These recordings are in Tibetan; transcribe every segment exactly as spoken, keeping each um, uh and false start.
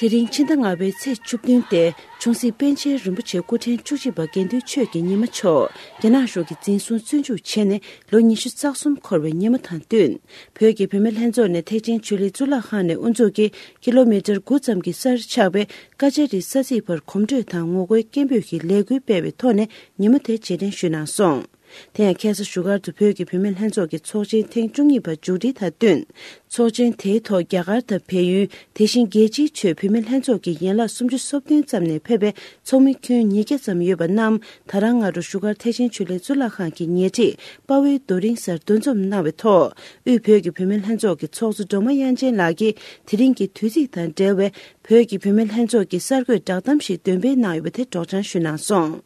དེ་རིང་ཕྱི་ཟླ་ལྔ་པའི་ཚེས་བཅུ་བདུན་སྟེ། ཆུང་སྲིད་པཎ་ཆེན་རིན་པོ་ཆེ་སྐུ་ཕྲེང་བཅུ་གཅིག་པ་དགེ་འདུན་ཆོས་ཀྱི་ཉི་མ་མཆོག་རྒྱ་ནག་གཞུང་གིས་འཛིན་བཟུང་བཙོན་འཇུག་བྱས་ནས་ལོ་ཉི་ཤུ་རྩ་གསུམ་འཁོར་བའི་ཉིན་མོ་དང་བསྟུན། བོད་ཀྱི་བུད་མེད་ལྷན་ཚོགས་ནས་ཐེག་ཆེན་ཆོས་གླིང་གཙུག་ལག་ཁང་ནས་དབུ་འཛུགས་ཀྱིས་ཀི་ལོ་མི་ཊར་དགུ་ཙམ་གྱི་སར་ཆགས་པའི་ཀ་ཅ་རི་ས་ཚིགས་བར་གོམ་བགྲོད་དང་ངོ་རྒོལ་སྐད་འབོད་ཀྱི་ལས་འགུལ་སྤེལ་བའི་ཐོག་ནས་ཉིན་མོ་དེ་རྗེས་དྲན་ཞུས་གནང་སོང་། དེ་ཡང་ཁ་སང་བཞུགས་སྒར་དུ་བོད་ཀྱི་བུད་མེད་ལྷན་ཚོགས་ཀྱི་ཚོགས་ཆེན་ཐེངས་བཅུ་གཉིས་པ་མཇུག་སྒྲིལ་དང་བསྟུན། ཚོགས་ཆེན་དེའི་ཐོག་རྒྱ་གར་དང་བལ་ཡུལ། དེ་བཞིན་རྒྱལ་སྤྱིའི་ཆོས་བུད་མེད་ལྷན་ཚོགས་ཀྱི་ཡན་ལག་སུམ་ཅུ་སོ་བདུན་ཙམ་ནས་ཕེབས་པའི་ཚོགས་མི་ཁྱོན་ཉིས་བརྒྱ་ཙམ་ཡོད་པ་རྣམས་ད་རང་སྔ་དྲོ་བཞུགས་སྒར་ཐེག་ཆེན་ཆོས་གླིང་གཙུག་ལག་ཁང་གི་ཉེ་འཁྲིས་དཔའ་བོའི་རྡོ་རིང་སར་འདུ་འཛོམས་གནང་བའི་ཐོག་དབུས་བོད་ཀྱི་བུད་མེད་ལྷན་ཚོགས་ཀྱི་ཚོགས་གཙོ་སྒྲོལ་མ་དབྱངས་ཅན་ལགས་ཀྱིས་དེ་རིང་གི་དུས་ཚིགས་དང་འབྲེལ་བའི་བོད་ཀྱི་བུད་མེད་ལྷན་ཚོགས་ཀྱི་གསར་འགོད་བསྒྲགས་གཏམ་ཞིག་འདོན་སྤེལ་གནང་ཡོད་པ་དེ་སྒྲོག་སྦྱང་ཞུས་གནང་སོང་།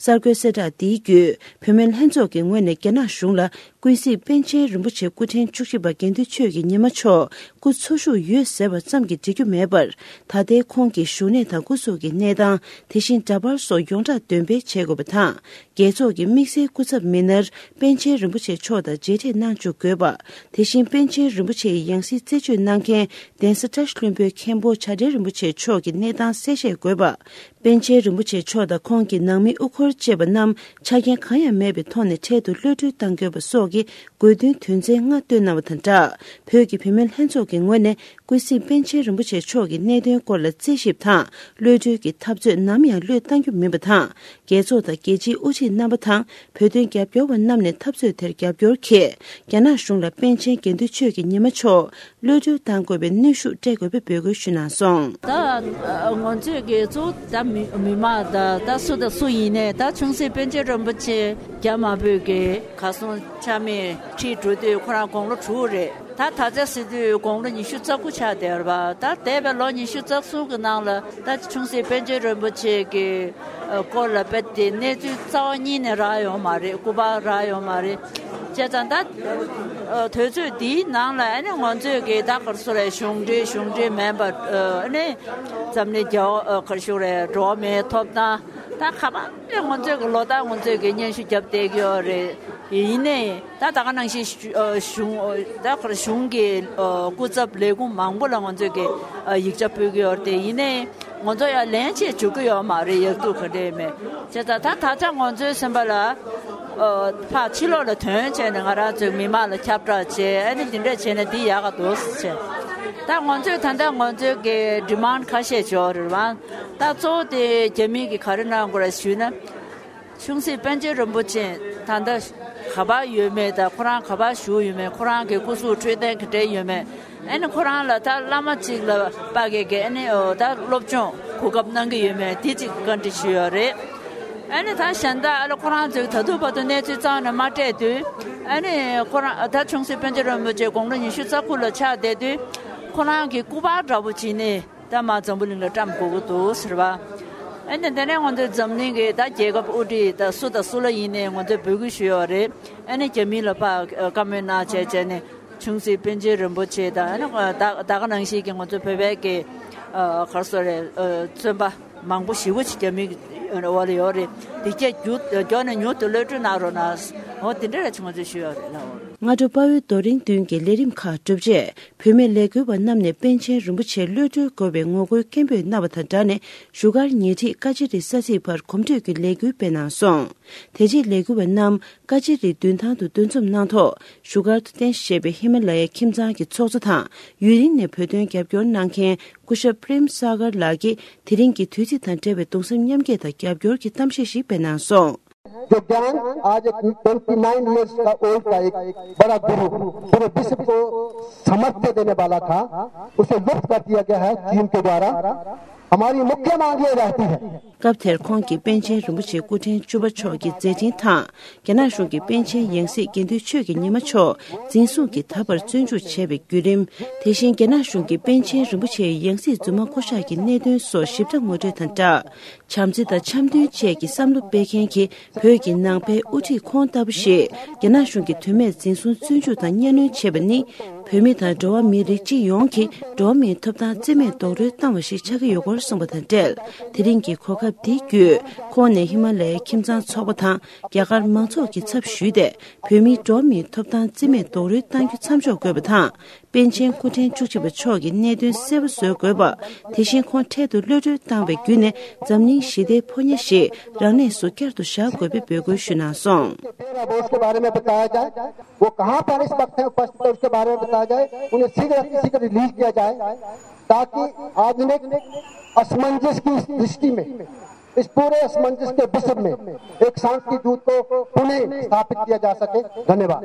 གསར་འགོད་གསལ་བསྒྲགས་འདིའི་བརྒྱུད་བུད་མེད་ལྷན་ཚོགས་ཀྱི་ངོས་ནས་རྒྱ་ནག་གཞུང་ལ་ཀུན་གཟིགས་པཎ་ཆེན་རིན་པོ་ཆེ་སྐུ་ཕྲེང་བཅུ་གཅིག་པ་དགེ་འདུན་ཆོས་ཀྱི་ཉི་མ་མཆོག་སྐུ་འཚོ་བཞུགས་ཡོད་ཟེར་བ་ཙམ་གྱིས་འགྲིག་རྒྱུ་མེད་པར། ད་ལྟའི་ཁོང་གི་བཞུགས་གནས་དང་སྐུ་གཟུགས་ཀྱི་གནས་སྟངས། དེ་བཞིན་འདྲ་པར་སོགས་ཡོངས་གྲགས་འདོན་སྤེལ་བྱེད་དགོས་པ་དང་། རྒྱལ་ཚོགས་ཀྱི་དམིགས་བསལ་སྐུ་ཚབ་མི་སྣར་པཎ་ཆེན་རིན་པོ་ཆེ་མཆོག་དང་མཇལ་འཕྲད་གནང་བཅུག་དགོས་པ། དེ་བཞིན་པཎ་ཆེན་རིན་པོ་ཆེའི་ཡང་སྲིད་རྩད་གཅོད་གནང་མཁན་གདན་ས་བཀྲ་ཤིས་ལྷུན་པོའི་མཁན་པོ་བྱ་བྲལ་རིན་པོ་ཆེ་མཆོག་གི་གནས་སྟངས་གསལ་བཤད་དགོས་པ། པཎ་ཆེན་རིན་པོ་ཆེ་མཆོག་དང་ཁོང་གི་ནང་མི་དབུ་འཁོར་བཅས་པ་རྣམས་ཆ་རྐྱེན་གང་ཡང་མེད་པའི་ཐོག་ནས་འཕྲལ་དུ་གློད་གྲོལ་གཏང་དགོས་པ་སོགས་ཀྱི་དགོས་འདུན་དོན་ཚན་ལྔ་བཏོན་གནང་བ་དང་སྦྲགས། བོད་ཀྱི་བུད་མེད་ལྷན་ཚོགས་ཀྱི་ངོས་ནས་ཀུན་གཟིགས་པཎ་ཆེན་རིན་པོ་ཆེ་མཆོག་གི་གནད་དོན་སྐོར་ལ་རྩད་ཞིབ་དང་གློད་གྲོལ་གྱི་འཐབ་རྩོད་ནམ་ཡང་གློད་གཏང་རྒྱུ་མིན་པ་དང་། རྒྱལ་ཚོགས་དང་རྒྱལ་སྤྱིའི་དབུ་ཁྲིད་རྣམ་པ་དང་བོད་དོན་རྒྱབ་སྐྱོར་བ་རྣམས་ནས་འཐབ་རྩོད་དེར་རྒྱབ་སྐྱོར་གྱིས། རྒྱ་ནག་གཞུང་ལ་པཎ་ཆེན་དགེ་འདུན་ཆོས་ཀྱི་ཉི་མ་མཆོག་གློད་གྲོལ་གཏང་དགོས་པའི་གནོན་ཤུགས་སྤྲད་དགོས་པའི་འབོད་སྐུལ་ཞུས་གནང་སོང་། ད་ང་ཚོས་ཀྱི་གཙོ་བོ་ད་མི་མི་མང་ད་ད་སུ་དང་སུ་ཡིན་ནའི་ད་ཆུང་སྲིད་པཎ་ཆེན་རིན་པོ་ཆེ་རྒྱ་དམར་པོས་ཀྱི་གར་སོང་ཆ་མེད་ཁྲིད་འགྲོ་དུས་ཁོ་རང་དགུང་ལོ་དྲུག་རེད། ད་ད་ཆ་ཟེར་དུས་དགུང་ལོ་ཉི་ཤུ་རྩ་དགུ་ཆགས་བསྡད་ཡོད་རེད་པ། ད་འདས་པའི་ལོ་ཉི་ཤུ་རྩ་གསུམ་གྱི་ནང་ལ་ད་ཆུང་སྲིད་པཎ་ཆེན་རིན་པོ་ཆེ་གི་སྐོར་ལ་དཔེ་དེ་གནས་ཚུལ་རྩ་བ་ཉིད་ནས་རག་ཡོད་མ་རེད། སྐུ་པར་རག་ཡོད་མ་རེད། བྱས་ཙང་ད་དུས་ཚོད་འདིའི་ནང་ལ་ཨ་ནི་ང་ཚོས་ཀྱི་ད་ག་རེ་ཟེར་རེད། གཞུང་འབྲེལ་གཞུང་འབྲེལ་མིན་པ་ཨ་ནི་འཛམ་གླིང་རྒྱལ་བ་ག་རེ་ཞུ་རེད། འགྲོ་བ་མིའི་ཐོབ་ཐང་ད་ག་པ་ནས་ང་ཚོས་ཀྱི་ལོ་ལྟར་ང་ཚོས་ཀྱི་སྙན་ཞུ་བརྒྱབ་བསྡད་ཀྱི་ཡོད་རེད། ཡིན་ནའི། ད་ད་ག་ནང་བཞིན་གཞུ་ཨ་གཞུང་ཨ་ད་ཁར་གཞུང་གི་ཨ་སྐུ་ཚབ་ལས་ཁུངས་མང་པོ་ལ་ང་ཚོས་ཀྱི་ཨ་ཡིག་ཆ་ཕུལ་གྱི་ཡོད་རེད་དེ། ཡིན་ནའི་ང་ཚོ་ཡང་ལན་ཆེ་འཇུག་གི་ཡོད་མ་རེད། ཡག་སྡུག་ག་འདྲ་ཡིན་མིན། བྱས་ཙང་ད་ད་ཆ་ང་ཚོའི་སེམས་པ་ལ་ཨ་ཕར་ཕྱི་ལོགས་ལ་དོན་བྱས་ནས་ང་རང་ཚོའི་མི་མང་ལ་ཁྱབ་བསྒྲགས་བྱས། ཨ་ནི་འདི་འདྲ་བྱས་ན་འདི་ཡག་ག་འདུག་ཟེར་བྱས། ད་ང་ཚོས་ད་ལྟ་ང་ཚོའི་གི་ཌི་མཱན་ཌི་ཁ་ཤས་ཡོད་རེད་པ། ད་གཙོ་བོ་དེ་རྒྱ་མི་གིས་ག་རེ་གནང་དགོས་རེད་ཞུས་ན། ཆུང་སྲིད་པཎ་ཆེན་རིན་པོ་ཆེ་ད་ལྟ་ག་པར་ཡོད་མེད་དང་། ཁོ་རང་ག་པར་བཞུགས་ཡོད་མེད། ཁོ་རང་གི་སྐུ་གཟུགས་འཕྲོད་བསྟེན་ག་འདྲ་ཡོད་མེད། ཨ་ནི་ཁོ་རང་ལ་ད་བླ་མ་གཅིག་ལ་དཔག་གི་གི་ཨ་ནི་ཨོ་ད་སློབ་སྦྱོང་གོ་སྐབས་གནང་གི་ཡོད་མེད་དེ་གཅིག་བཀའ་འདྲི་ཞུས་ཡོད་རེད། ཨ་ནི་ད་གཞན་དག་ཨ་ལ་ཁོ་རང་ཚོས་ད་དུང་བར་དུ་གནས་ཚུལ་རྩ་བ་ནས་མ་སྤྲད་དུས། ཨ་ནི་ཁོ་རང་ད་ཆུང་སྲིད་པཎ་ཆེན་རིན་པོ་ཆེ་དགུང་ལོ་ཉི་ཤུ་རྩ་དགུ་ལ་ཆགས་བསྡད་དུས་ཁོ་རང་གི་སྐུ་པར་འདྲ་པོ་བྱིན་ནས། ད་མར་འཛམ་བུ་གླིང་ལ་བཀྲམ་དགོས་ཀྱི་འདུག་ཟེར་བ། ཨ་ནི་དེ་ནས་ང་ཚོའི་འཛམ་གླིང་གི་ད་རྒྱལ་ཁབ་དབུ་ཁྲིད་ད་སུ་དང་སུ་ལ་ཡིན་ནའི་ང་ཚོས་འབོད་སྐུལ་ཞུས་ཡོད་རེད། ཨ་ནི་རྒྱ་མི་ལ་ཕར་བཀའ་མོལ་གནང་བྱས་བྱས་ནས་ཆུང་སྲིད་པཎ་ཆེན་རིན་པོ་ཆེ་དང་། ཨ་ནི་ད་ད་ག་ནང་བཞིན་གྱི་ང་ཚོ་བོད་པའི་གི་ག་རེ་ཟེར་རེད། བཙོན་པ་མང་པོ་ཞེ་པོ་ཅིག་རྒྱ་མིའི་འོག་ལ་ཡོད་རེད། དེ་གྱད་མགྱོགས་ནས་མྱུར་དུ་གློད་གྲོལ་གནང་རོགས་གནང་། འོ་དེ་འདྲ་རེད། ང་ཚོས་ཞུས་ཡོད་རེད་ལགས། སྔ་དྲོ་དཔའ་བོའི་རྡོ་རིང་མདུན་གྱི་ལས་རིམ་ཁག་གྲུབ་རྗེས། བུད་མེད་ལས་འགུལ་བ་རྣམས་ནས་པཎ་ཆེན་རིན་པོ་ཆེ་གློད་གྲོལ་དགོས་པའི་ངོ་རྒོལ་སྐད་འབོད་གནང་བ་དང་སྦྲགས་ནས། བཞུགས་སྒར་ཉེ་འཁྲིས་ཀ་ཅི་རི་ས་ཚིགས་བར་གོམ་བགྲོད་ཀྱི་ལས་འགུལ་སྤེལ་གནང་སོང་། དེ་རྗེས་ལས་འགུལ་བ་རྣམས་ཀ་ཅི་རི་མདུན་ཐང་དུ་འདུ་འཛོམས་གནང་ཐོག་བཞུགས་སྒར་དུ་རྟེན་གཞི་བྱས་པའི་ཧི་མ་ལ་ཡའི་ཁྱིམ་ཚང་གི་ཚོགས་གཙོ་དང་། ཡུན་རིང་ནས་བོད་དོན་རྒྱབ་སྐྱོར་གནང་མཁན་སྐུ་ཞབས་པྲེམ་ས་གར་ལགས་ཀྱིས་དེ་རིང་གི་དུས་ཚིགས་དང་འབྲེལ་བའི་གདུང་སེམས་མཉམ་སྐྱེད་དང་རྒྱབ་སྐྱོར་གྱི་གཏམ་བཤད་ཞིག་སྤེལ་གནང་སོང་། जो ज्ञान आज एक ट्वेंटी नाइन ईयर्स का ओल्ड का एक बड़ा गुरु, पूरे विश्व को सामर्थ्य देने वाला था, उसे लुप्त कर दिया गया है चीन के द्वारा। हमारी मुख्य मांग ये रहती है। སྐབས་དེར་ཁོང་གིས་པཎ་ཆེན་རིན་པོ་ཆེ་སྐུ་ཕྲེང་བཅུ་པ་མཆོག་གི་མཛད་འཕྲིན་དང་། རྒྱ་ནག་གཞུང་གིས་པཎ་ཆེན་ཡང་སྲིད་དགེ་འདུན་ཆོས་ཀྱི་ཉི་མ་མཆོག་འཛིན་བཟུང་གིས་ད་བར་བཙོན་འཇུག་བྱས་པའི་བརྒྱུད་རིམ། དེ་བཞིན་རྒྱ་ནག་གཞུང་གིས་པཎ་ཆེན་རིན་པོ་ཆེའི་ཡང་སྲིད་རྫུན་མ་བསྐོ་བཞག་གི་གནད་དོན་སོགས་ཞིབ་ཕྲ་ངོ་སྤྲོད་དང་སྦྲགས། བྱམས་བརྩེ་དང་འཆམ་མཐུན་བཅས་ཀྱི་བསམ་བློ་སྤེལ་མཁན་གྱི་བོད་ཀྱི་ནང་པའི་དབུ་ཁྲིད་ཁོང་ལྟ་བུ་ཞིག་རྒྱ་ནག་གཞུང་གིས་དོན་མེད་འཛིན་བཟུང་བཙོན་འཇུག་དང་གཉའ་གནོན་བྱས་པ་ནི། བོད་མི་དང་འགྲོ་བ་མིའི་རིགས་སྤྱི་ཡོངས་ཀྱི་འགྲོ་བ་མིའི་ཐོབ་ཐང་རྩིས་མེད་རྡོག་རོལ་བཏང་བ་ཞིག་ཆགས་ཀྱི་ཡོད་སྐོར་གསུངས་པ་དང་འབྲེལ། དེ་རིང་གི་གོ་སྐབས་འདི་བརྒྱུད་ཁོང་ནས་ཧི་མ་ལ་ཡའི་ཁྱིམ་ཚང་ཚོགས་པ་དང་རྒྱ་གར་མང་ཚོགས་ཀྱི་ཚབ་ཞུས་ཏེ། བོད་མིའི་འགྲོ་བ་མིའི་ཐོབ་ཐང་རྩིས་མེད་རྡོག་རོལ་གཏང་རྒྱུ་མཚམས་འཇོག་དགོས་པ་དང་། པཎ་ཆེན་སྐུ་ཕྲེང་བཅུ་གཅིག་པ་མཆོག་གིས་གནད་དོན་གསལ་པོ་བཟོ་དགོས་པ། དེ་བཞིན་ཁོང་འཕྲལ་དུ་གློད་གྲོལ་བཏང་བའི་བརྒྱུད་ནས་འཛམ་གླིང་ཞི་བདེའི་ཕོ་ཉ་ཞིག་རང་ལས་སུ་བསྐྱར་དུ་བཞག་དགོས་པའི་འབོད་སྐུལ་ཞུས་གནང་སོང་། वो कहाँ पर इस वक्त है उपस्थित है, उसके बारे में बताया जाए, उन्हें शीघ्र अतिशीघ्र रिलीज किया जाए, ताकि आधुनिक असमंजस की इस दृष्टि में, इस पूरे असमंजस के विश्व में एक शांति दूत को पुनः स्थापित किया जा सके। धन्यवाद।